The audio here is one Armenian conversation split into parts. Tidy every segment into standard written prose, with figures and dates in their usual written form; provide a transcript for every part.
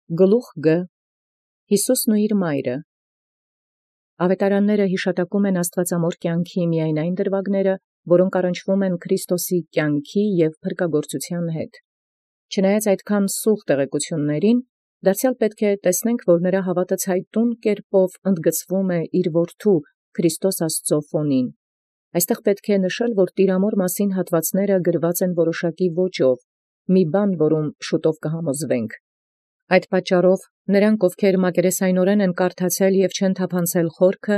Գլուխ Գ. Յիսուսն ու իր մայրը։ Ավետարանները յիշատակում են աստուածամոր կյանքի միայն այն դրվագները, որոնք առնչվում են Քրիստոսի կյանքի և փրկագործության հետ։ Չնայած այդքան սուղ տեղեկություններին, դարձյալ պետք է տեսնենք, որ նրա հավատը ցայտուն կերպով ընդգծվում է իր որդու Քրիստոս Աստծո ֆոնին։ Այստեղ պետք է նշել, որ Տիրամոր մասին հատվածները գրված են որոշակի ոճով, մի բան, որում շուտով կհամոզվենք։ Այդ պատճառով նրանք, ովքեր մակերեսայնորեն են կարդացել և չեն թափանցել խորքը,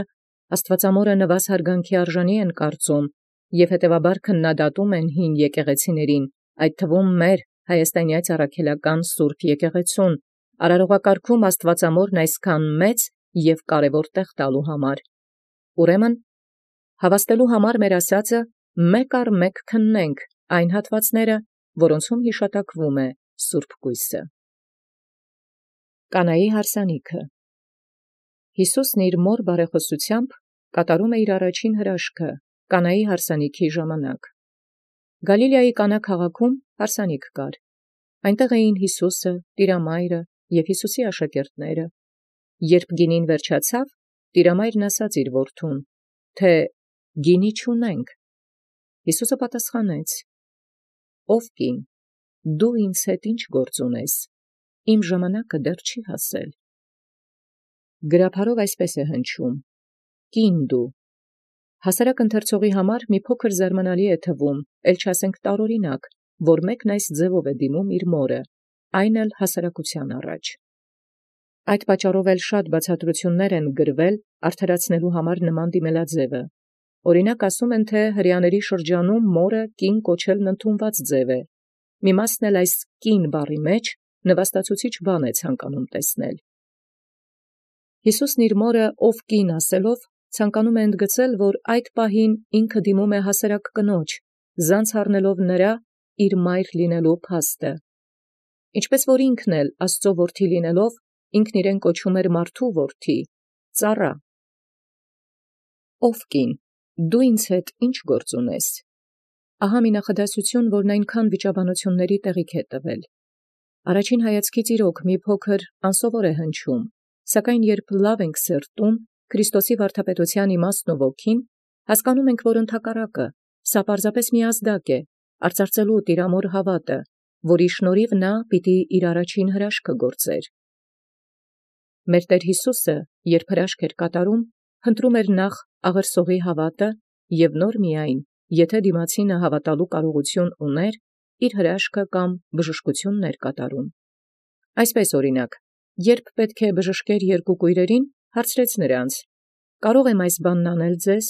աստվածամորը նվազ հարգանքի արժանի են կարծում և հետևաբար քննադատում են հին եկեղեցիներին, այդ թվում մեր հայաստանյաց առաքելական Սուրբ եկեղեցուն, արարողակարգում աստվածամորն այսքան մեծ և կարևոր տեղ տալու համար։ Ուրեմն, հավաստելու համար մեր ասածը մեկ առ մեկ քննենք այն հատվածները, որոնցում հիշատակվում է Սուրբ կոյսը։ Կանայի հարսանիքը։ Յիսուսն իր մոր բարեխոսությամբ կատարում է իր առաջին հրաշքը Կանայի հարսանիքի ժամանակ։ Գալիլեայի Կանա քաղաքում հարսանիք կար։ Այնտեղ էին Յիսուսը, Տիրամայրը և Յիսուսի աշակերտները։ Երբ գինին վերջացավ, Տիրամայրն ասաց իր որդուն, թե «Գինի չունենք»։ Յիսուսը պատասխանեց. «Ով կին, դու ինձ հետ ի՞նչ գործ ունես, իմ ժամանակը դեռ չի հասել»։ Գրաբարով այսպես է հնչում. «Կին դու»։ Հասարակ ընթերցողի համար մի փոքր զարմանալի է թվում, ել չասենք տարօրինակ, որ մեկն այս ձևով է դիմում իր մորը, այն էլ հասարակության առաջ։ Այդ պատճառով էլ շատ բացատրություններ են գրվել արդարացնելու համար նման դիմելաձևը։ Օրինակ ասում են, թե հրեաների շրջանում մորը կին կոչելն ընդունված ձև է։ Մի մասն էլ այս կին բառի մեջ նվաստացուցիչ բան է ցանկանում տեսնել։ Յիսուսն իր մորը ով կին ասելով ցանկանում է ընդգծել, որ այդ պահին ինքը դիմում է հասարակ կնոջ, զանց առնելով նրա իր մայր լինելու փաստը։ Ինչպես որ ինքն էլ Աստծո որդի լինելով, ինքն իրեն կոչում էր մարդու որդի, ծառա։ Ով կին, դու ինձ հետ ի՞նչ գործ ունես։ Ահա մի նախադասություն, որն այնքան վիճաբանությունների տեղիք է տվել։ Առաջին հայացքից իրոք մի փոքր անսովոր է հնչում, սակայն երբ լավ ենք սերտում Քրիստոսի վարդապետության իմաստն ու ոգին, հասկանում ենք, որ ընդհակառակը, սա պարզապես մի ազդակ է, արծարծելու Տիրամոր հավատը, որի շնորհիվ նա պիտի իր առաջին հրաշքը գործեր։ Մեր Տեր Հիսուսը, երբ հրաշք էր կատարում, խնդրում էր նախ աղերսողի հավատը և նոր միայն, եթե դիմացինը հավատալու կարողություն ուներ, իր հրաշքը կամ բժշկությունն էր կատարում։ Այսպես օրինակ, երբ պետք է բժշկեր երկու կույրերին, հարցրեց նրանց. «Կարող եմ այս բանն անել ձեզ»։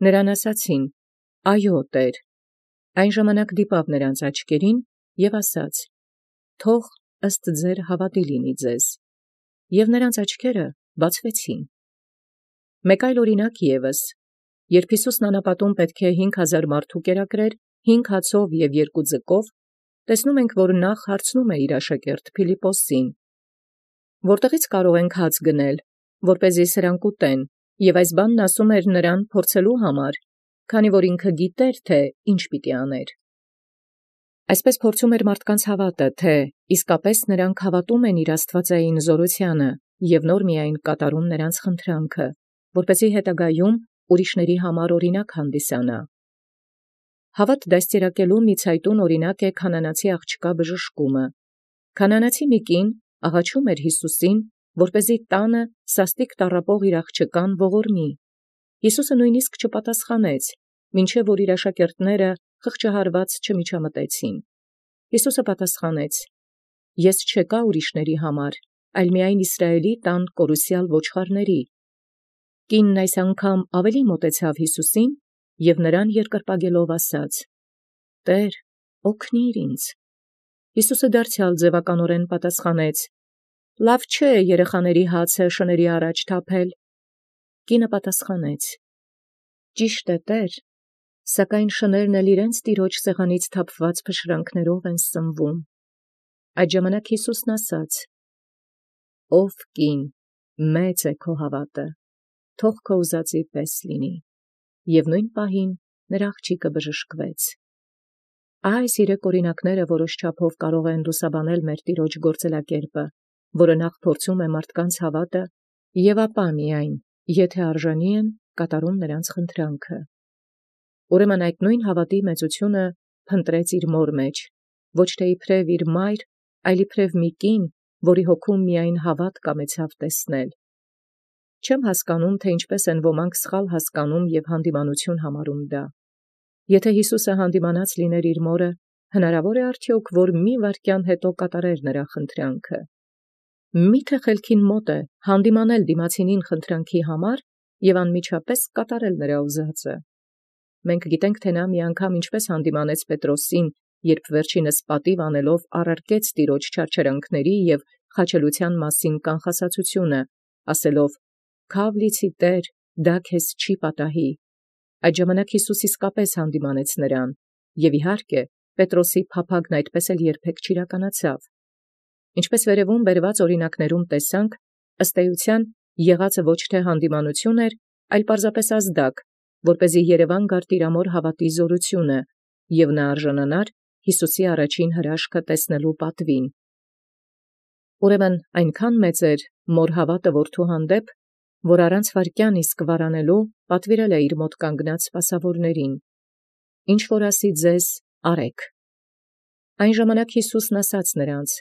Նրան ասացին. «Այո, Տեր»։ Այն ժամանակ դիպավ նրանց աչքերին և ասաց. «Թող ըստ ձեր հավատի լինի ձեզ»։ Եվ նրանց աչքերը բացվեցին։ Մեկ այլ օրինակ ևս. երբ Յիսուսն անապատում պետք է 5000 մարդու կերակրեր 5 հացով և 2 ձկով, տեսնում ենք, որ նախ հարցնում է իր աշակերտ Փիլիպպոսին. «Որտեղից կարող ենք հաց գնել, որպեսզի սրանք ուտեն»։ Եվ այս բանն ասում էր նրան փորձելու համար, քանի որ ինքը գիտեր, թե ինչ պիտի աներ։ Այսպես փորձում էր մարդկանց հավատը, թե իսկապես նրանք հավատում են իր աստվածային զորությանը և նոր միայն կատարում նրանց խնդրանքը, որպեսզի հետագայում ուրիշների համար օրինակ հանդիսանա։ Հավատ դաստիարակելու մի ցայտուն օրինակ է քանանացի աղջկա բժշկումը։ Քանանացի մի կին աղաչում էր Յիսուսին, որպեսզի տանը սաստիկ տառապող իր աղջկան ողորմի։ Յիսուսը նույնիսկ չպատասխանեց, մինչև որ իր աշակերտները խղճահարված չմիջամտեցին։ Յիսուսը պատասխանեց. «Ես չեկա ուրիշների համար, այլ միայն Իսրայելի տան կորուսյալ ոչխարների»։ Կինն այս անգամ ավելի մոտեցավ Յիսուսին և նրան երկրպագելով ասաց. «Տեր, օգնիր ինձ»։ Յիսուսը դարձյալ ձևականորեն պատասխանեց. «Լավ չէ երեխաների հացը շների առաջ թափել»։ Կինը պատասխանեց. «Ճիշտ է, Տեր, սակայն շներն էլ իրենց տիրոջ սեղանից թափված փշրանքներով են սնվում»։ Այդ ժամանակ Յիսուսն ասաց. «Ով կին, մեծ է քո հավատը, թող քո ուզածի պես լինի»։ Եվ նույն պահին նրա աղջիկը բժշկվեց։ Այս 3 օրինակները որոշ չափով կարող են լուսաբանել մեր Տիրոջ գործելակերպը, որը նախ փորձում է մարդկանց հավատը, եւ ապա միայն, եթե արժանի են, կատարում նրանց խնդրանքը։ Ուրեմն այդ նույն հավատի մեծությունը փնտրեց իր մոր մեջ, ոչ թե իբրև իր մայր, այլ իբրև մի կին, որի հոգում միայն հավատ կամեցավ տեսնել։ Չեմ հասկանում, թե ինչպես են ոմանք սխալ հասկանում եւ հանդիմանություն համարում դա։ Եթե Հիսուսը հանդիմանած լիներ իր մորը, հնարավոր է արդյոք, որ մի վայրկյան հետո կատարեր նրա խնդրանքը։ Միթե խելքին մոտ է հանդիմանել դիմացինին խնդրանքի համար եւ անմիջապես կատարել նրա ուզածը։ Մենք գիտենք, թե նա մի անգամ ինչպես հանդիմանեց Պետրոսին, երբ վերջինս պատիվ անելով առարկեց Տիրոջ չարչարանքների եւ խաչելության մասին կանխասացությունը, ասելով. «Քավ լիցի Տեր, դա քեզ չի պատահի»։ Այդ ժամանակ Հիսուս իսկապես հանդիմանեց նրան, եւ իհարկե Պետրոսի փափագն այդպես էլ երբեք չիրականացավ։ Ինչպես վերևում բերված օրինակներում տեսանք, ըստ էության եղածը ոչ թե հանդիմանություն էր, այլ պարզապես ազդակ, որպեսզի Երևան գար տիրամոր հավատի զորությունը, եւ նա արժանանար Հիսուսի առաջին հրաշքը տեսնելու պատվին։ Ուրեմն այնքան մեծ էր մոր հավատը որդու հանդեպ, որ առանց վայրկյան իսկ վարանելու պատվիրել է իր մոտ կանգնած սպասավորներին. «Ինչ որ ասի ձեզ, արեք»։ Այն ժամանակ Հիսուսն ասաց նրանց.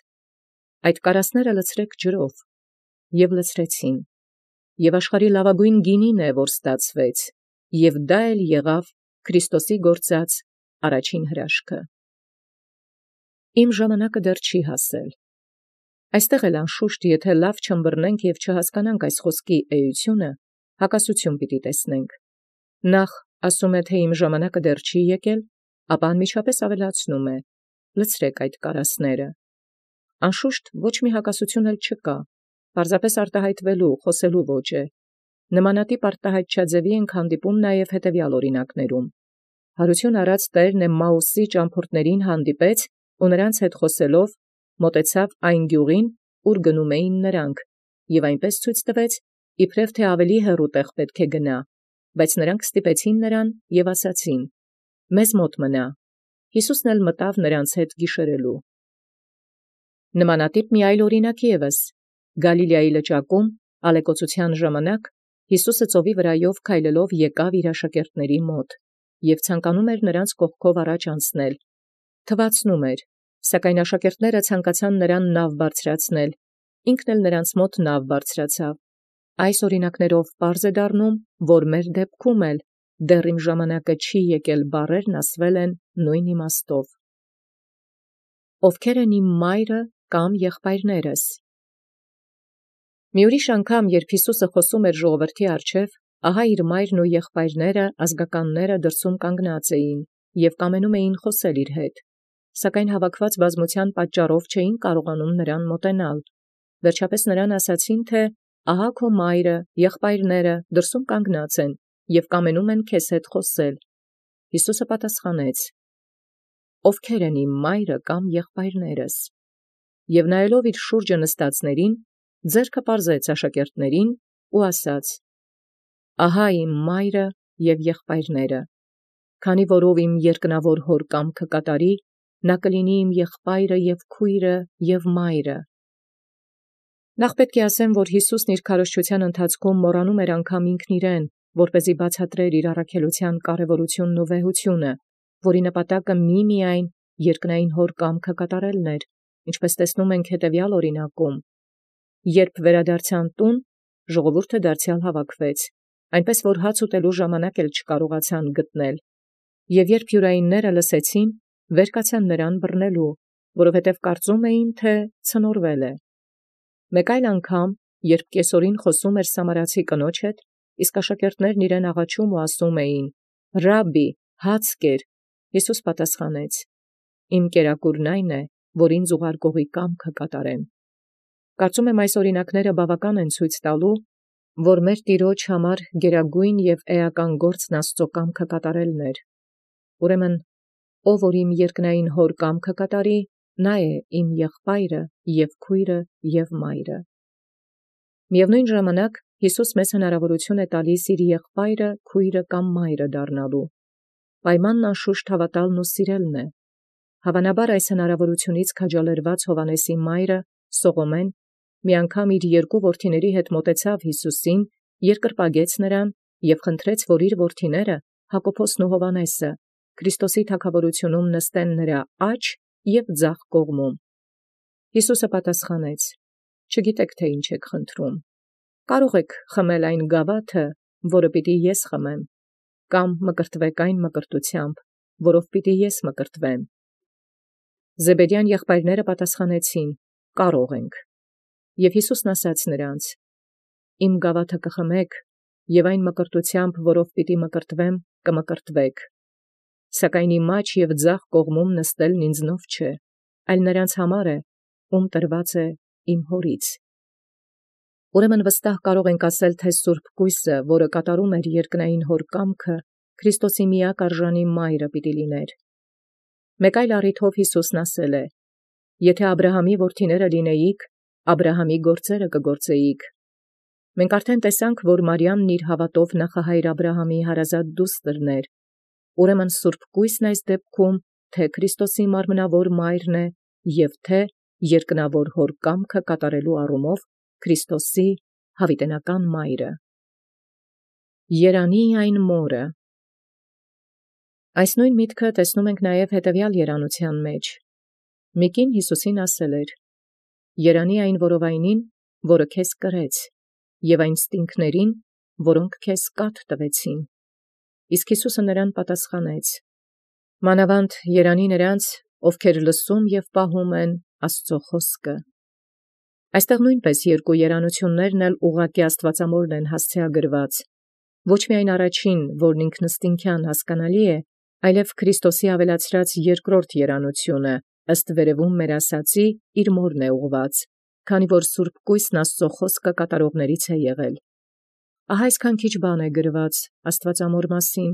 «Այդ կարասները լցրեք ջրով», եւ լցրեցին, եւ աշխարհի լավագույն գինին է, որ ստացվեց, եւ դա էլ եղավ Քրիստոսի գործած առաջին հրաշքը։ Իմ ժամանակը դեռ չի հասել։ Այստեղ էլ անշուշտ, եթե լավ չըմբռնենք եւ չհասկանանք այս խոսքի էությունը, հակասություն պիտի տեսնենք։ Նախ ասում է, թե իմ ժամանակը դեռ չի եկել, ապա անմիջապես ավելացնում է. լցրեք այդ կարասները։ Անշուշտ ոչ մի հակասություն էլ չկա, պարզապես արտահայտվելու, խոսելու ոճ է։ Նմանատիպ արտահայտչաձևի ենք հանդիպում նաև հետևյալ օրինակներում։ Հարություն առած Տերն Էմմաուսի ճամփորդներին հանդիպեց ու նրանց հետ խոսելով մոտեցավ այն գյուղին, ուր գնում էին նրանք, եւ այնպես ցույց տվեց, իբրև թե ավելի հեռու տեղ պետք է գնա, բայց նրանք ստիպեցին նրան եւ ասացին. «Մեզ մոտ մնա»։ Հիսուսն էլ մտավ նրանց հետ գիշերելու։ Նմանատիպ մի այլ օրինակ ևս. Գալիլեայի լճակում ալեկոծության ժամանակ Հիսուսը ծովի վրայով քայլելով եկավ իր աշակերտների մոտ եւ ցանկանում էր նրանց կողքով առաջ անցնել։ Թվացնում էր, սակայն աշակերտները ցանկացան նրան նավ բարձրացնել, ինքն էլ նրանց մոտ նավ բարձրացավ։ Այս օրինակներով պարզ է դառնում, որ մեր դեպքում էլ դեռ իմ ժամանակը չի եկել բառերն ասվել են նույն իմաստով։ Ովքեր են իմ մայրը կամ եղբայրներս։ Մի ուրիշ անգամ, երբ Հիսուսը խոսում էր ժողովրդի առջև, ահա իր մայրն ու եղբայրները, ազգականները դրսում կանգնած էին եւ կամենում էին խոսել իր հետ, սակայն հավաքված բազմության պատճառով չէին կարողանում նրան մոտենալ։ Վերջապես նրան ասացին, թե ահա քո մայրը, եղբայրները դրսում կանգնած են եւ կամենում են քեզ հետ խոսել։ Հիսուսը պատասխանեց. «Ովքեր են իմ մայրը կամ եղբայրներս»։ Եվ նայելով իր շուրջը նստածներին, ձեռքը պարզեց աշակերտներին ու ասաց. «Ահա իմ մայրը եւ եղբայրները, քանի որով իմ երկնավոր հոր կամքը կատարի, նա կլինի իմ եղբայրը եւ քույրը եւ մայրը»։ Նախ պետք է ասեմ, որ Հիսուսն իր քարոզչության ընթացքում մոռանում էր անգամ ինքն իրեն, որպեսզի բացատրեր իր առաքելության կարևորությունն ու վեհությունը, որի նպատակը միմիայն երկնային հոր կամքը կատարելն էր, ինչպես տեսնում ենք հետևյալ օրինակում։ Երբ վերադարձան տուն, ժողովուրդը դարձյալ հավաքվեց, այնպես որ հաց ուտելու ժամանակ էլ չկարողացան գտնել։ Եվ երբ յուրայինները լսեցին, վեր կացան նրան բռնելու, որովհետև կարծում էին, թե ցնորվել է։ Մեկ այլ անգամ, երբ կեսօրին խոսում էր սամարացի կնոջ հետ, իսկ աշակերտներն իրեն աղաչում ու ասում էին. «Ռաբբի, հաց կեր», Հիսուս պատասխանեց. «Իմ կերակուրն այն է, որ ինձ ուղարկողի կամքը կատարեմ»։ Կարծում եմ այս օրինակները բավական են ցույց տալու, որ մեր Տիրոջ համար գերագույն եւ էական գործն Աստծո կամքը կատարելն էր։ Ուրեմն, ով որ իմ երկնային հոր կամքը կատարի, նա է իմ եղբայրը եւ քույրը եւ մայրը։ Միևնույն ժամանակ Հիսուս մեզ հնարավորություն է տալիս իր եղբայրը, քույրը կամ մայրը դառնալու։ Պայմանն անշուշտ հավատալն ու սիրելն է։ Հավանաբար այս հնարավորությունից քաջալերված Հովանեսի մայրը Սողոմեն մի անգամ իր երկու որդիների հետ մոտեցավ Յիսուսին, երկրպագեց նրան և խնդրեց, որ իր որդիները Հակոբոսն ու Հովհաննեսը Քրիստոսի թագաւորութիւնում նստեն նրա աջ և ձախ կողմում։ Յիսուսը պատասխանեց. «Չգիտեք, թե ինչ եք խնդրում. կարող եք խմել այն գաւաթը, որը պիտի ես խմեմ, կամ մկրտվեք այն մկրտութեամբ, որով պիտի ես մկրտվեմ»։ Զեբեդեան եղբայրները պատասխանեցին. «Կարող ենք»։ Եւ Յիսուսն ասաց նրանց. «Իմ գաւաթը կխմեք, եւ այն մկրտութեամբ, որով պիտի մկրտվեմ, կմկրտվեք. սակայն իմ աջ և ձախ կողմում նստելն ինձնով չէ, այլ նրանց համար է, ում տրված է իմ Հորից»։ Ուրեմն վստահ կարող ենք ասել, թե Սուրբ Կույսը, որը կատարում էր երկնային Հոր կամքը, Քրիստոսի միակ արժանի Մայրը պիտի լիներ։ Մեկ այլ առիթով Յիսուսն ասել է. «Եթե Աբրահամի որդիները լինեիք, Աբրահամի գործերը կգործեիք»։ Մենք արդեն տեսանք, որ Մարիամն իր հավատով նախահայր Աբրահամի հարազատ դուստրն էր։ Ուրեմն Սուրբ Կույսն այս դեպքում թե Քրիստոսի մարմնավոր Մայրն է և թե երկնավոր Հոր կամքը կատարելու առումով Քրիստոսի հավիտենական Մայրը։ Երանի այն մորը։ Այս նույն միտքը տեսնում ենք նաև հետևյալ երանութեան մեջ։ Մի կին Յիսուսին ասել էր. «Երանի այն որովայնին, որը քեզ կրեց, և այն ստինգներին, որոնք քեզ կաթ տվեցին»։ Իսկ Յիսուսը նրան պատասխանեց. «Մանավանդ երանի նրանց, ովքեր լսում և պահում են Աստուծոյ խօսքը»։ Այստեղ նույնպես երկու երանութիւններն էլ ուղղակի աստուածամորն են հասցեագրված. ոչ միայն առաջին, որն ինքնըստինքյան հասկանալի է, այլև Քրիստոսի ավելացրած երկրորդ երանութիւնը, ըստ վերևում մեր ասացի, իր մորն է ուղղված, քանի որ Սուրբ Կույսն Աստուծոյ խօսքը կատարողներից է եղել։ Ահա այսքան քիչ բան է գրված Աստուածամոր մասին,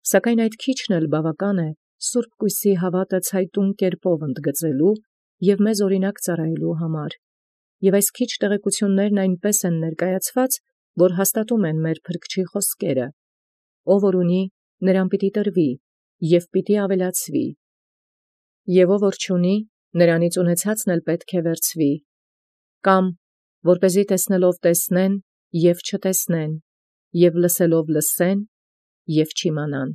սակայն այդ քիչն էլ բավական է Սուրբ Կույսի հավատը ցայտուն կերպով ընդգծելու և մեզ օրինակ ծառայելու համար։ Եւ այս քիչ տեղեկություններն այնպես են ներկայացված, որ հաստատում են մեր Փրկչի խոսքերը. «Ով որ ունի, նրան պիտի տրվի, և պիտի ավելացվի. և ով որ չունի, նրանից ունեցածն էլ պետք է վերցվի»։ Կամ որպեսզի տեսնելով տեսնեն և չտեսնեն, և լսելով լսեն և չիմանան։